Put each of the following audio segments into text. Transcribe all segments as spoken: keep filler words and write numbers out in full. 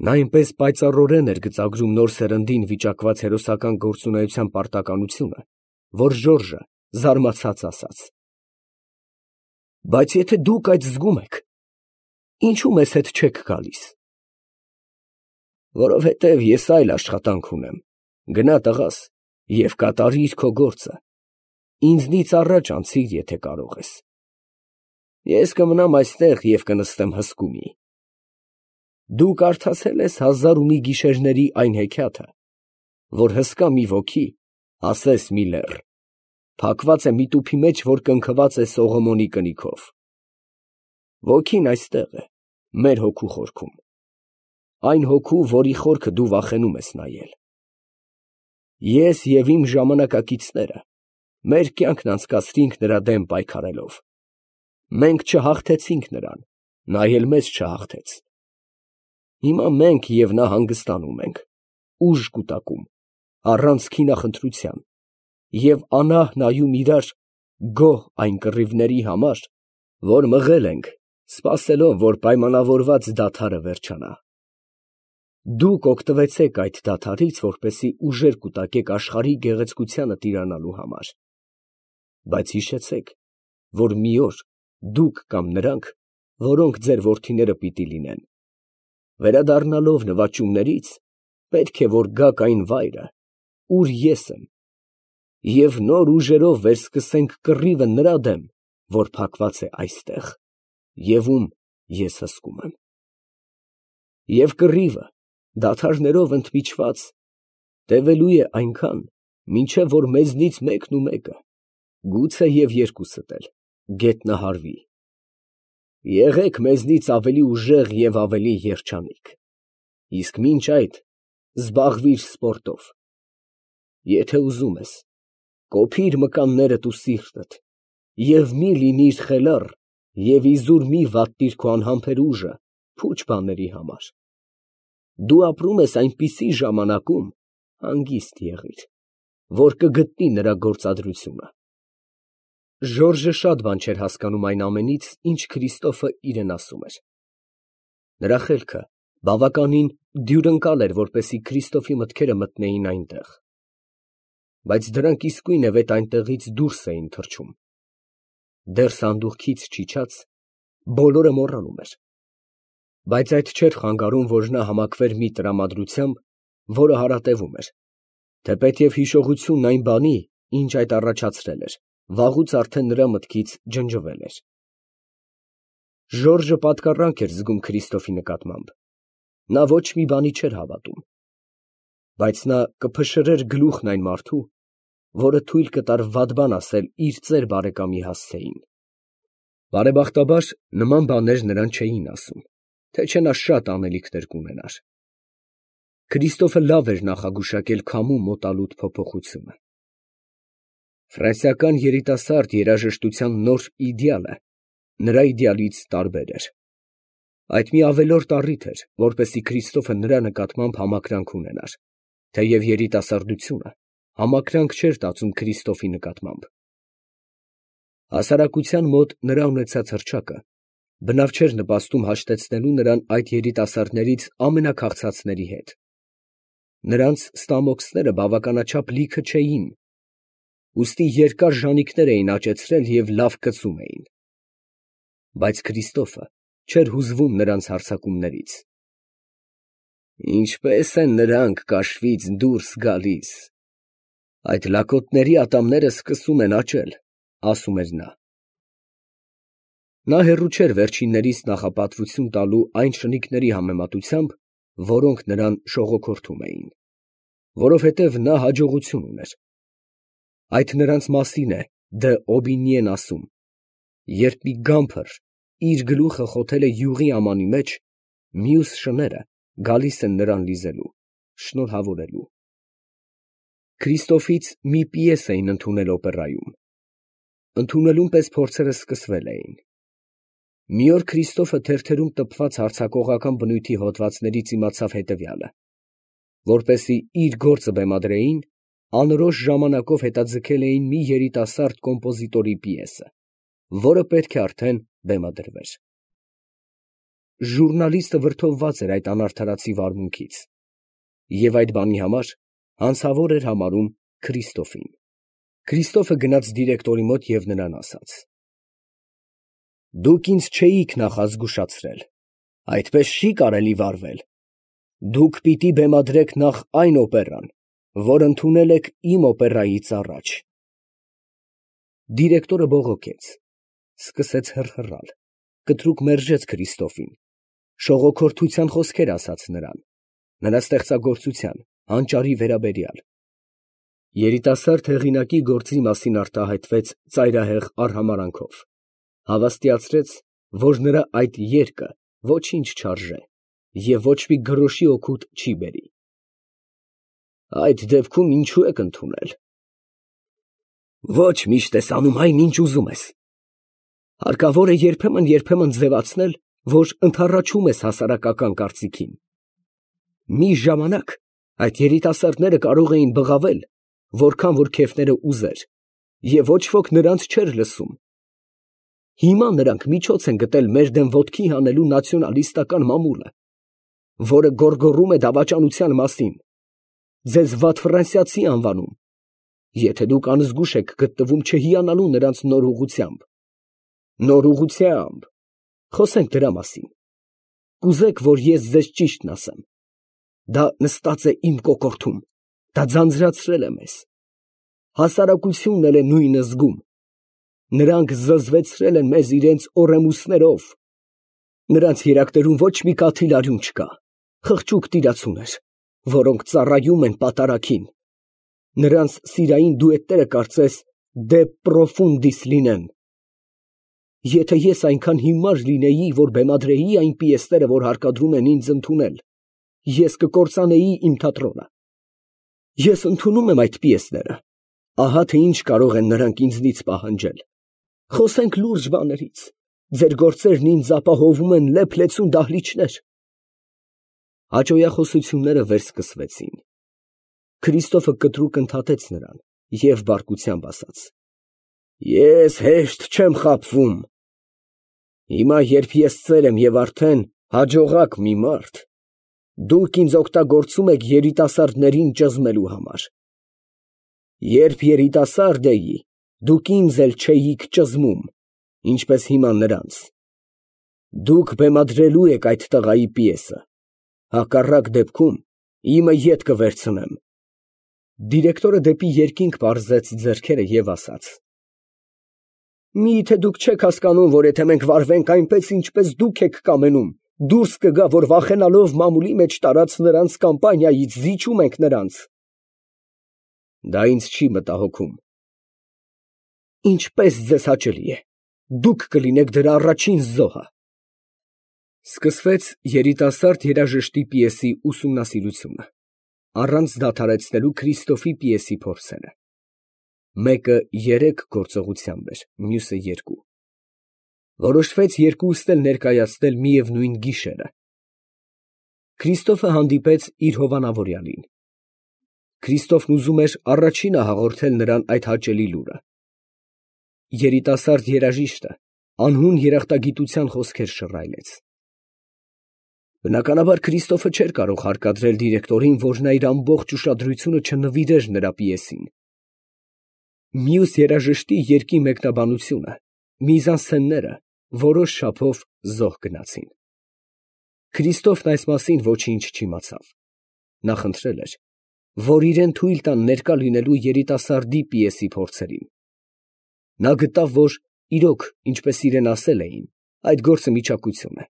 Նա այնպես պայծառորեն էր գծագրում նոր սերնդին վիճակված հերոսական գործունեության պարտականությունը, որ Ժորժը զարմացած ասաց. «Բայց եթե դուք այդ զգում եք, ինչո՞ւ մեզ հետ չեք գալիս»։ «Որովհետև ես այլ աշխատանք ունեմ. գնա, տղաս, և կատարիր քո գործը, ինձնից առաջ անցիր, եթե կարող ես։ Ես կմնամ այստեղ և կնստեմ հսկումի։ Դու կարդացե՞լ ես «Հազար ու մի գիշերների» այն հեքիաթը, որ հսկա մի ոգի, ասես մի լեռ, փակված է մի տուփի մեջ, որ կնքված է Սողոմոնի կնիքով։ Ոգին այստեղ է, մեր հոգու խորքում, այն հոգու, որի խորքը դու վախենում ես նայել։ Ես և իմ ժամանակակիցները մեր կյանքն անցկացրինք նրա դեմ պայքարելով։ Մենք չհաղթեցինք նրան, նա էլ մեզ չհաղթեց։ Հիմա մենք և նա հանգստանում ենք, ուժ կուտակում, առանց քինախնդրության, և անահ նայում իրար գոհ այն կռիվների համար, որ մղել ենք, սպասելով, որ պայմանավորված դադարը վերջանա։ Դուք օգտվեցեք այդ դադարից, որպեսզի ուժեր կուտակեք աշխարհի գեղեցկությանը տիրանալու համար։ Բայց հիշեցեք, որ մի օր դուք կամ նրանք, որոնք ձեր որդիները պիտի լինեն, վերադառնալով նվաճումներից, պետք է որ գաք այն վայրը, ուր ես եմ, և նոր ուժերով վերսկսենք կռիվը նրա դեմ, որ փակված է այստեղ, և ում ես հսկում եմ։ Եվ կռիվը, դադարներով ընդմիջված, տևելու է այնքան, մինչև որ մեզնից մեկն ու մեկը, գուցե և երկուսդ էլ, գետնահարվի։ Եղեք մեզնից ավելի ուժեղ և ավելի երջանիկ, իսկ մինչ այդ զբաղվիր սպորտով։ Եթե ուզում ես, կոփիր մկաններդ ու սիրտդ, և մի լինիր խելառ և իզուր մի վատնիր քո անհամբեր ուժը փուչ բաների համար։ Դու ապրում ես այնպիսի ժամանակում, հանգիստ եղիր, որ կգտնի նրա գործադրությունը։ Ժորժը շատ բան չէր հասկանում այն ամենից, ինչ Քրիստոֆը իրան ասում էր։ Նրա խելքը բավականին դյուրընկալ էր, որպեսզի Քրիստոֆի մտքերը մտնեին այնտեղ։ Բայց դրանք իսկույնևեթ այնտեղից դուրս էին թռչում։ Դեռ սանդուղքից չիջած, բոլորը մոռանում էր։ Բայց այդ չէր խանգարում, որ նա համակվեր մի տրամադրությամբ, որը հարատևում էր, թեպետև հիշողությունն այն բանի, ինչ այդ առաջացրել էր, վաղուց արդեն նրա մտքից ջնջվել էր։ Ժորժը պատկառանք էր զգում Քրիստոֆի նկատմամբ, նա ոչ մի բանի չէր հավատում։ Բայց նա կփշրեր գլուխն այն մարդու, որը թույլ կտար վատ բան ասել իր ծեր բարեկամի հասցեին։ Բարեբախտաբար, նման բաներ նրան չէին ասում, թե չէ նա շատ անելիքներ կունենար։ Քրիստոֆը լավ էր նախագուշակել քամու մոտալուտ փոփոխությունը։ Ֆրանսիական երիտասարդ երաժշտության նոր իդեալը նրա իդեալից տարբեր էր։ Այդ մի ավելորդ առիթ էր, որպեսզի Քրիստոֆը նրա նկատմամբ համակրանք ունենար, թեև երիտասարդությունը համակրանք չէր տածում Քրիստոֆի նկատմամբ։ Հասարակության մոտ նրա ունեցած հռչակը բնավ չէր նպաստում հաշտեցնելու նրան այդ երիտասարդներից ամենաքաղցածների հետ։ Նրանց ստամոքսները բավականաչափ լիքը չէին, ուստի երկար ժանիքներ էին աճեցրել և լավ կծում էին։ Բայց Քրիստոֆը չէր հուզվում նրանց հարձակումներից։ Ինչպե՞ս են նրանք կաշվից դուրս գալիս, այդ լակոտների ատամները սկսում են աճել, ասում էր նա։ Նա հեռու չէր վերջիններիս նախապատվություն տալու այն շնիկների համեմատությամբ, որոնք նրան շողոքորթում էին, որովհետև նա հաջողություն ուներ։ Այդ նրանց մասին է դը Օբինիեն ասում. երբ մի գամփր իր գլուխը խոթել է յուղի ամանի մեջ, մյուս շները գալիս են նրան լիզելու, շնորհավորելու։ Քրիստոֆից մի պիես էին ընդունել օպերայում։ Ընդունելուն պես փորձերը սկսվել էին։ Մի օր Քրիստոֆը թերթերում տպված հարձակողական բնույթի հոդվածներից իմացավ հետևյալը. որպեսզի իր գործը բեմադրեին, անորոշ ժամանակով հետաձգել էին մի երիտասարդ կոմպոզիտորի պիեսը, որը պետք է արդեն բեմադրվեր։ ժուռնալիստը վրդովված էր այդ անարդարացի վարմունքից, և այդ բանի համար հանցավոր էր համարում Քրիստոֆին։ Քրիստոֆը գնաց դիրեկտորի մոտ և նրան ասաց. «Դուք ինձ չէիք նախազգուշացրել, այդպես չի կարելի վարվել. դուք պիտի բեմադրեք նախ այն օպերան, որ ընդունել եք իմ օպերայից առաջ»։ Դիրեկտորը բողոքեց, սկսեց հռհռալ, կտրուկ մերժեց Քրիստոֆին, շողոքորթության խոսքեր ասաց նրան, նրա ստեղծագործության, հանճարի վերաբերյալ։ Երիտասարդ հեղինակի գործի մասին արտահայտվեց ծայրահեղ արհամարհանքով, հավաստիացրեց, որ նրա այդ երգը ոչինչ չարժե և ոչ մի գրոշի օգուտ չի բերի։ «Այդ դեպքում ինչո՞ւ եք ընդունել»։ «Ոչ միշտ ես անում այն, ինչ ուզում ես։ Հարկավոր է երբեմն֊երբեմն ձևացնել, որ ընդառաջում ես հասարակական կարծիքին։ Մի ժամանակ այդ երիտասարդները կարող էին բղավել, որքան որ քեֆները ուզեր, և ոչ ոք նրանց չէր լսում։ Հիմա նրանք միջոց են գտել մեր դեմ ոտքի հանելու նացիոնալիստական մամուլը, որը գոռգոռում է դավաճանության մասին, ձեզ վատ ֆրանսիացի անվանում, եթե դուք անզգույշ եք գտնվում չհիանալու նրանց նոր ուղղությամբ։ Նոր ուղղությամբ, խոսենք դրա մասին։ Կուզեք, որ ես ձեզ ճիշտն ասեմ. դա նստած է իմ կոկորդում, դա ձանձրացրել է մեզ։ Հասարակությունն էլ է նույնը զգում։ Նրանք զզվեցրել են մեզ իրենց օռեմուսներով։ Նրանց երակներում ոչ մի կաթիլ արյուն չկա, խղճուկ տիրացուներ, որոնք ծառայում են պատարագին։ Նրանց սիրային դուետները կարծես դե պրոֆունդիս լինեն։ Եթե ես այնքան հիմար լինեի, որ բեմադրեի այն պիեսները, որ հարկադրում են ինձ ընդունել, ես կկործանեի իմ թատրոնը։ Ես ընդունում եմ այդ պիեսները, ահա թե ինչ կարող են նրանք ինձնից պահանջել։ Խոսենք լուրջ բաներից, ձեր գործերն ինձ ապահովում են լեփ-լեցուն դահլիճներ։ Հաճոյախոսությունները վերսկսվեցին։ Քրիստոֆը կտրուկ ընդհատեց նրան և բարկությամբ ասաց. «Ես հեշտ չեմ խաբվում։ Հիմա, երբ ես ծեր եմ և արդեն հաջողակ մի մարդ, դուք ինձ օգտագործում եք երիտասարդներին ճզմելու համար։ Երբ երիտասարդ էի, դուք ինձ էլ չէիք ճզմում, ինչպես հիմա նրանց։ Դուք բեմադրելու եք այդ տղայի պիեսը, հակառակ դեպքում իմը ետ կվերցնեմ»։ Դիրեկտորը դեպի երկինք պարզեց ձեռքերը և ասաց. «Մի՞թե դուք չեք հասկանում, որ եթե մենք վարվենք այնպես, ինչպես դուք եք կամենում, դուրս կգա, որ վախենալով մամուլի մեջ տարած նրանց կամպանիայից զիջում ենք նրանց»։ Դա ինձ չի մտահոգում։ Ինչպես ձեզ հաճելի է, դուք կլինեք դրա առաջին զոհը։ Սկսվեց երիտասարդ երաժշտի պիեսի ուսումնասիրությունը, առանց դադարեցնելու Քրիստոֆի պիեսի փորձերը։ Մեկը երեք գործողությամբ էր, մյուսը երկու։ Որոշվեց երկուսն էլ ներկայացնել միևնույն գիշերը։ Քրիստոֆը հանդիպեց իր հովանավորյալին։ Քրիստոֆն ուզում էր առաջինը հաղորդել նրան այդ հաճելի լուրը։ Երիտասարդ երաժիշտը անհուն երախտագիտության խոսքեր շռայլեց։ Բնականաբար Քրիստոֆը չէր կարող հարկադրել դիրեկտորին, որ նա իր ամբողջ ուշադրությունը չնվիրեր նրա պիեսին։ Մյուս երաժշտի երգի մեկնաբանությունը, միզանսցենները որոշ չափով զոհ գնացին։ Քրիստոֆն այս մասին ոչինչ չիմացավ։ Նա խնդրել էր, որ իրեն թույլ տան ներկա լինելու երիտասարդի պիեսի փորձերին։ Նա գտավ, որ իրոք, ինչպես իրեն ասել էին, այդ գործը միչակություն է։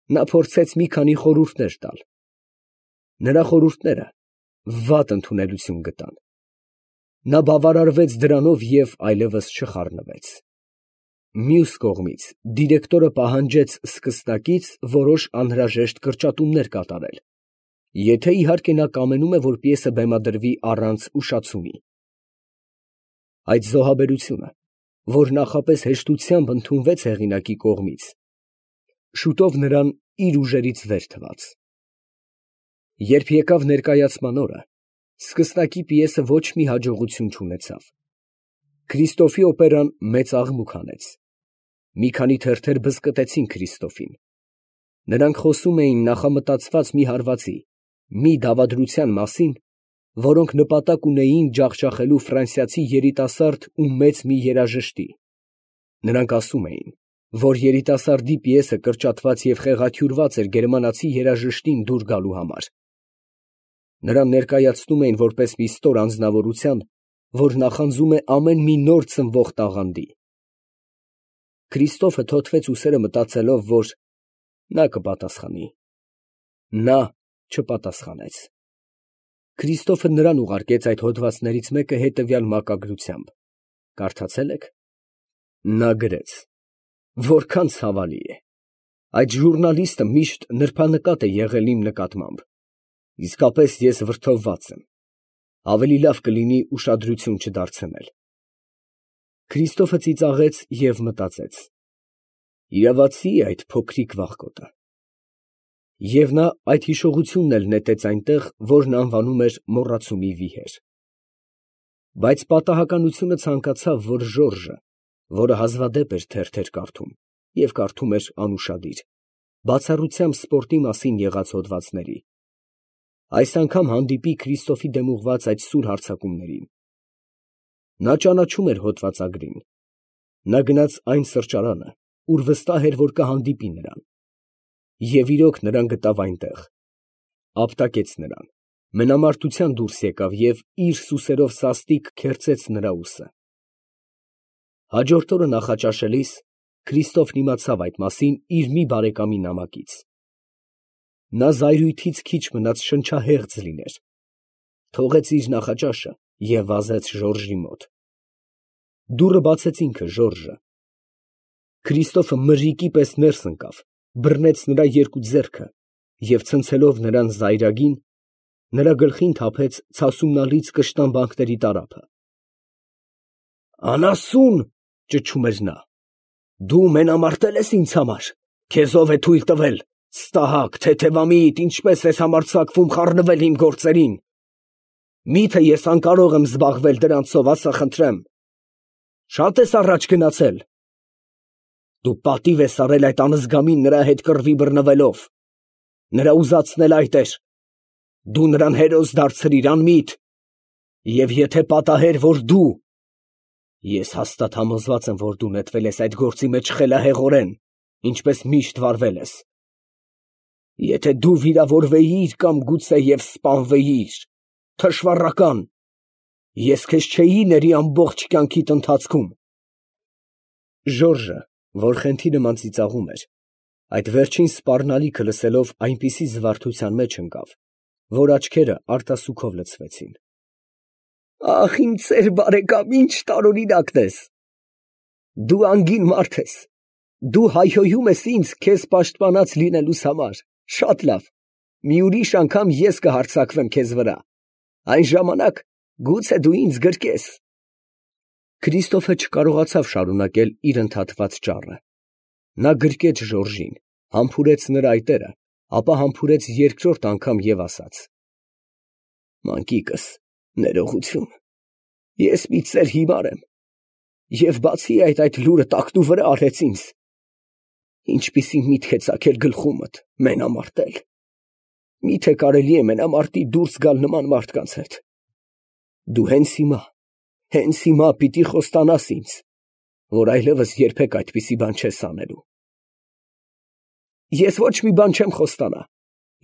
Նա փորձեց մի քանի խորհուրդներ տալ։ Նրա խորհուրդները վատ ընդունելություն գտան։ Նա բավարարվեց դրանով և այլևս չխառնվեց։ Մյուս կողմից, դիրեկտորը պահանջեց սկսնակից որոշ անհրաժեշտ կրճատումներ կատարել, եթե իհարկե նա կամենում է, որ պիեսը բեմադրվի առանց ուշացումի։ Այդ զոհաբերությունը, որ նախապես հեշտությամբ ընդունվեց հեղինակի կողմից, շուտով նրան իր ուժերից վեր թվաց։ Երբ եկավ ներկայացման օրը, սկսնակի պիեսը ոչ մի հաջողություն չունեցավ։ Քրիստոֆի օպերան մեծ աղմուկ հանեց։ Մի քանի թերթեր բզկտեցին Քրիստոֆին։ Նրանք խոսում էին նախամտածված մի հարվածի, մի դավադրության մասին, որոնք նպատակ ունեին ջախջախելու ֆրանսիացի երիտասարդ ու մեծ մի երաժշտի. նրանք ասում էին, որ երիտասարդի պիեսը կրճատված և խեղաթյուրված էր գերմանացի երաժշտին դուր գալու համար. նրան ներկայացնում էին որպես մի ստոր անձնավորության, որ նախանձում է ամեն մի նոր ծնվող տաղանդի։ Քրիստոֆը թոթվեց ուսերը մտածելով, որ նա կպատասխանի։ Նա չպատասխանեց։ Քրիստոֆը նրան ուղարկեց այդ հոդվածներից մեկը հետևյալ մակագրությամբ. կարդացե՞լ եք։ Նա գրեց. որքան ցավալի է, այդ ժուռնալիստը միշտ նրբանկատ է եղել իմ նկատմամբ, իսկապես ես վրդովված եմ, ավելի լավ կլինի ուշադրություն չդարձնել։ Քրիստոֆը ծիծաղեց և մտածեց. իրավացի է այդ փոքրիկ վախկոտը։ Եվ նա այդ հիշողությունն էլ նետեց այնտեղ, որն անվանում էր մոռացումի վիհեր։ Բայց պատահականությունը ցանկացավ, որ Ժորժը, որը հազվադեպ էր թերթեր կարդում և կարդում էր անուշադիր, բացառությամբ սպորտի մասին եղած հոդվածների, այս անգամ հանդիպի Քրիստոֆի դեմ ուղղված այդ սուր հարձակումներին։ Նա ճանաչում էր հոդվածագրին։ Նա գնաց այն սրճարանը, ուր վստահ էր, որ կհանդիպի նրան։ Եվ իրոք նրան գտավ այնտեղ, ապտակեց նրան, մենամարտության դուրս եկավ և իր սուսերով սաստիկ քերծեց նրա ուսը։ Հաջորդ օրը նախաճաշելիս Քրիստոֆն իմացավ այդ մասին իր մի բարեկամի նամակից։ Նա զայրույթից քիչ մնաց շնչահեղձ լիներ, թողեց իր նախաճաշը և վազեց Ժորժի մոտ։ Դուռը բացեց ինքը Ժորժը։ Քրիստոֆը մրրիկի պես ներս ընկավ, բռնեց նրա երկու ձեռքը և ցնցելով նրան զայրագին, նրա գլխին թափեց ցասումնալից կշտամբանքների տարափը։ «Անասուն», ճչում էր նա, «դու մենամարտել ես ինձ համար, քեզ ո՞վ է թույլ տվել, ստահակ, թեթևամիտ, ինչպես ես համարձակվում խառնվել իմ գործերին, մի՞թե ես անկարող եմ զբաղվել դրանցով, ասա խնդրեմ, շա՞տ ես առաջ գնացել, դու պատիվ ես արել այդ անզգամին նրա հետ կռվի բռնվելով, նրա ուզածն էլ այդ էր, դու նրան հերոս դարձրիր, անմիտ, և եթե պատահեր, որ դու, ես հաստատ համոզված եմ, որ դու նետվել ես այդ գործի մեջ խելահեղորեն, ինչպես միշտ վարվել ես, եթե դու վիրավորվեիր կամ գուցեև սպանվեիր, թշվառական, ես քեզ չէի ների ամբողջ կյանքիդ ընթացքում»։ Ժորժը, որ խենթի նման ծիծաղում էր, այդ վերջին սպառնալիքը լսելով այնպիսի զվարթության մեջ ընկավ, որ աչքերը արտասուքով լցվեցին։ «Ախ, իմ ծեր բարեկամ, ինչ տարօրինակն ես, դու անգին մարդ ես, դու հայհոյում ես ինձ քեզ պաշտպանած լինելուս համար, շատ լավ, մի ուրիշ անգամ ես կհարձակվեմ քեզ վրա, այն ժամանակ գուցե դու ինձ գրկես»։ Քրիստոֆը չկարողացավ շարունակել իր ընդհատված ճառը։ Նա գրկեց Ժորժին, համբուրեց նրա այտերը, ապա համբուրեց երկրորդ անգամ և ասաց. «Մանկիկս, ներողություն, ես մի ծեր հիմար եմ, և բացի այդ, այդ լուրը տակնուվրա արեց ինձ, ինչպիսի միտք է ծագել գլխումդ, մենամարտել, մի՞թե կարելի է մենամարտի դուրս գալ նման մարդկանց հետ, դու հենց հիմա, հենց հիմա պիտի խոստանաս ինձ, որ այլևս երբեք այդպիսի բան չես անելու»։ «Ես ոչ մի բան չեմ խոստանա,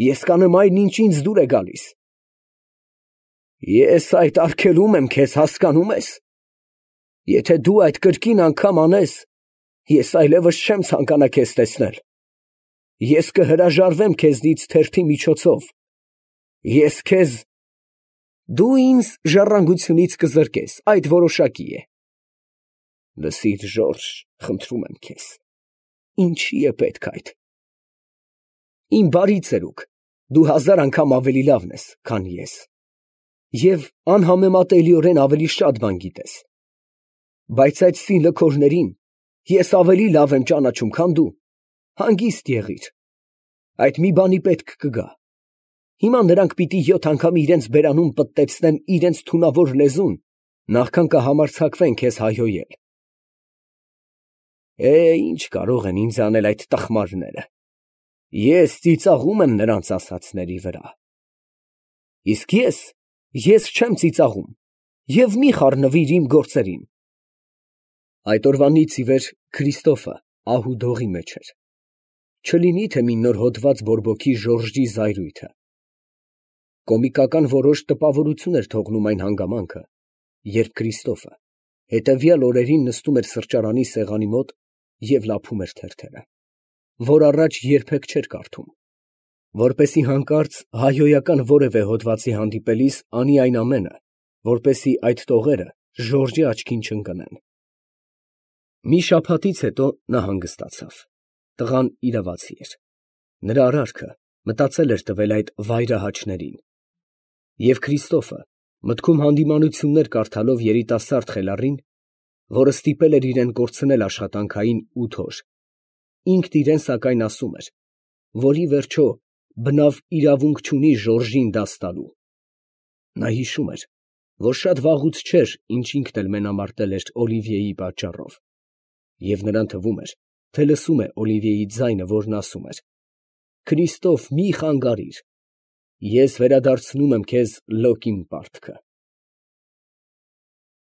ես կանեմ այն, ինչ ինձ դուր է գալիս»։ «Ես այդ արգելում եմ քեզ, հասկանում ես, եթե դու այդ կրկին անգամ անես, ես այլևս չեմ ցանկանա քեզ տեսնել, ես կհրաժարվեմ քեզնից թերթի միջոցով, ես քեզ… դու ինձ ժառանգությունից կզրկես, այդ որոշակի է։ Լսիր, Ժորժ, խնդրում եմ քեզ, ինչի է պետք այդ… Իմ բարի ծերուկ, դու հազար անգամ ավելի լավն ես, քան ես, և անհամեմատելիորեն ավելի շատ բան գիտես, բայց այդ սինլքորներին ես ավելի լավ եմ ճանաչում, քան դու, հանգիստ եղիր, այդ մի բանի պետք կգա, հիմա նրանք պիտի յոթ անգամ իրենց բերանուն պտտեցնեն իրենց թունավոր լեզուն, նախքան կհամարձակվեն քեզ հայհոյել։ Է, ինչ կարող են ինձ անել այդ տխմարները, Ես ծիծաղում եմ նրանց ասածների վրա։ Իսկ ես, ես չեմ ծիծաղում, և մի խառնվիր իմ գործերին։ Այդ օրվանից ի վեր Քրիստոֆը ահ ու դողի մեջ էր. չլինի թե մի նոր հոդված բորբոքի Ժորժի զայրույթը։ Կոմիկական որոշ տպավորություն էր թողնում այն հանգամանքը, երբ Քրիստոֆը հետևյալ օրերին նստում էր սրճարանի սեղանի մոտ և լափում էր թերթերը, որ առաջ երբեք չէր կարդում, որպեսզի հանկարծ հայհոյական որևէ հոդվածի հանդիպելիս անի այն ամենը, որպեսզի այդ տողերը Ժորժի աչքին չընկնեն։ Մի շաբաթից հետո նա հանգստացավ. տղան իրավացի էր, նրա արարքը մտածել էր տվել այդ վայրահաչներին, և Քրիստոֆը մտքում հանդիմանություններ կարդալով երիտասարդ խելառին, որը ստիպել էր իրան կորցնել աշխատանքային ութ օր, ինքն իրան սակայն ասում էր, որ ի վերջո բնավ իրավունք չունի Ժորժին դաս տալու։ Նա հիշում էր, որ շատ վաղուց չէր, ինչ ինքն էլ մենամարտել էր Օլիվիեի պատճառով, և նրան թվում էր, թե լսում է Օլիվիեի ձայնը, որն ասում էր. «Քրիստոֆ, մի խանգարիր, ես վերադարձնում եմ քեզ լոկ իմ պարտքը»։